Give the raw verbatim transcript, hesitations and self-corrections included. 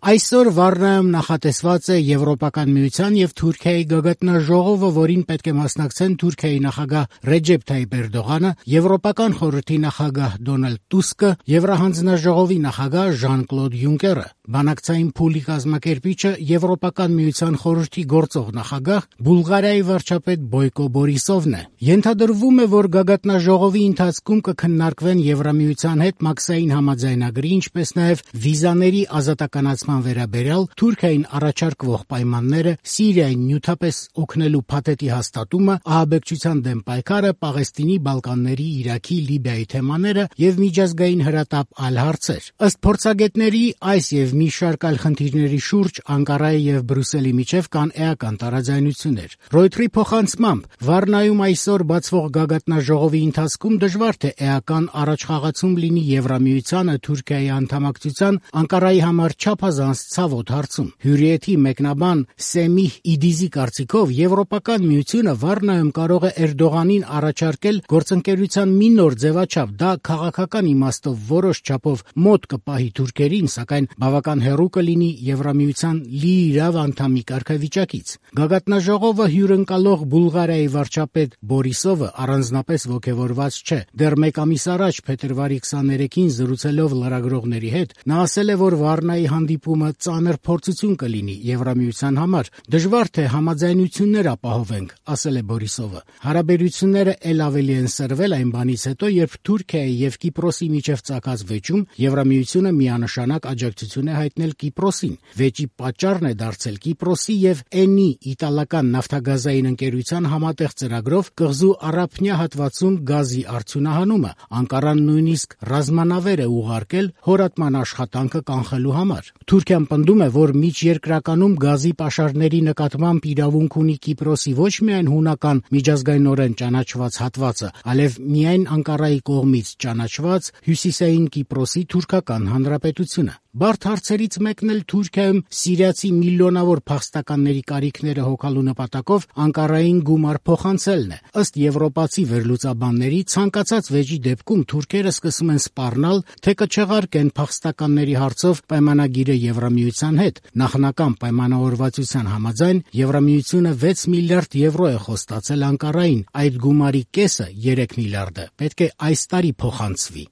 Այսօր Վառնայում նախատեսված է Եվրոպական միության եւ Թուրքիայի գագաթնաժողովը, որին պետք է մասնակցեն Թուրքիայի նախագահ Ռեջեփ Թայիփ Էրդողանը, Եվրոպական խորհրդի նախագահ Դոնալդ Տուսկը, Եվրահանձնաժողովի նախագահ Ժան-Կլոդ Յունկերը։ Բանակցային փուլի կազմակերպիչը Եվրոպական միության խորհրդի գործող նախագահ Բուլղարիայի վարչապետ Բոյկո Բորիսովն է։ Ենթադրվում է, որ գագաթնաժողովի ընթացքում կքննարկվեն Եվրամիության հետ մաքսային համաձայնագրի, ինչպես նաեւ վիզաների ազատականացման վերաբերյալ Թուրքիային առաջարկվող պայմանները, Սիրիային նյութապես օգնելու փաթեթի հաստատումը, ահաբեկչության դեմ պայքարը, Պաղեստինի, Բալկանների, Իրաքի, Լիբիայի թեմաները եւ միջազգային հրատապ այլ հարցեր։ Ըստ փորձագետների, այս եւ մի շարք այլ խնդիրների շուրջ Անկարայի եւ Բրյուսելի միջև կան էական տարաձայնություններ։ Ռոյթերի փոխանցմամբ Վառնայում այսօր բացվող գագաթնաժողովի ընթացքում դժվար թե էական առաջխաղացում լինի Եվրամիությանը Թուրքիայի անդամակցության Անկարայի համար չափազանց ցավոտ հարցում։ Հյուրիեթի մեկնաբան Սեմիհ Իդիզի կարծիքով Եվրոպական միությունը Վառնայում կարող է Էրդողանին առաջարկել գործընկերության մի նոր ձևաչափ, դա քաղաքական իմաստով որոշ չափով մոտ կպահի թուրքերին, սակայն բավական հեռու կլինի Եվրամիության լիիրավ անդամի կարգավիճակից։ Գագաթնաժողովը հյուրընկալող Բուլղարիայի վարչապետ Բորիսովը առանձնապես ոգևորված չէ։ Դեռ մեկ ամիս առաջ փետրվարի քսաներեքին զրուցելով լրագրողների հետ նա ասել է, որ Վառնայի հանդիպումը ծանր փորձություն կլինի Եվրամիության համար։ Դժվար թե համաձայնություններ ապահովենք, ասել է Բորիսովը։ Հարաբերությունները ել ավելի են սրվել այն բանից հետո, երբ Թուրքիայի եւ Կիպրոսի միջև ծագած վեճում Եվրամիությունը միանշանակ աջակցություն է հայտնել Կիպրոսին։ Վեճի պատճառն է դարձել Կիպրոսի եւ Էնի իտալական նավթագազային ընկերության համատեղ ծրագրով կղզու առափնյա հատվածում գազի արդյունահանումը։ Անկարան նույնիսկ ռազմանավեր է ուղարկել հորատման աշխատանքը կանխելու համար։ Թուրքիան պնդում է, որ միջերկրականում գազի պաշարների նկատմամբ իրավունք ունի Կիպրոսի ոչ միայն հունական միջազգայինորեն ճանաչված հատվածը, այլև միայն Անկարայի կողմից ճանաչված հյուսիսային Կիպրոսի թուրքական հանրապետությունը։ Բարդ հարցերից մեկն էլ Թուրքիայում սիրիացի միլիոնավոր փախստականների կարիքները հոգալու նպատակով Անկարային գումար փոխանցելն է։ Ըստ եվրոպացի վերլուծաբանների, ցանկացած վեճի դեպքում թուրքերը սկսում են սպառնալ, թե կչեղարկեն փախստականների հարցով պայմանագիրը Եվրամիության հետ։ Նախնական պայմանավորվածության համաձայն Եվրամիությունը վեց միլիարդ եվրո է խոստացել Անկարային։ Այդ գումարի կեսը՝ երեք միլիարդը, պետք է այս տարի փոխանցվի։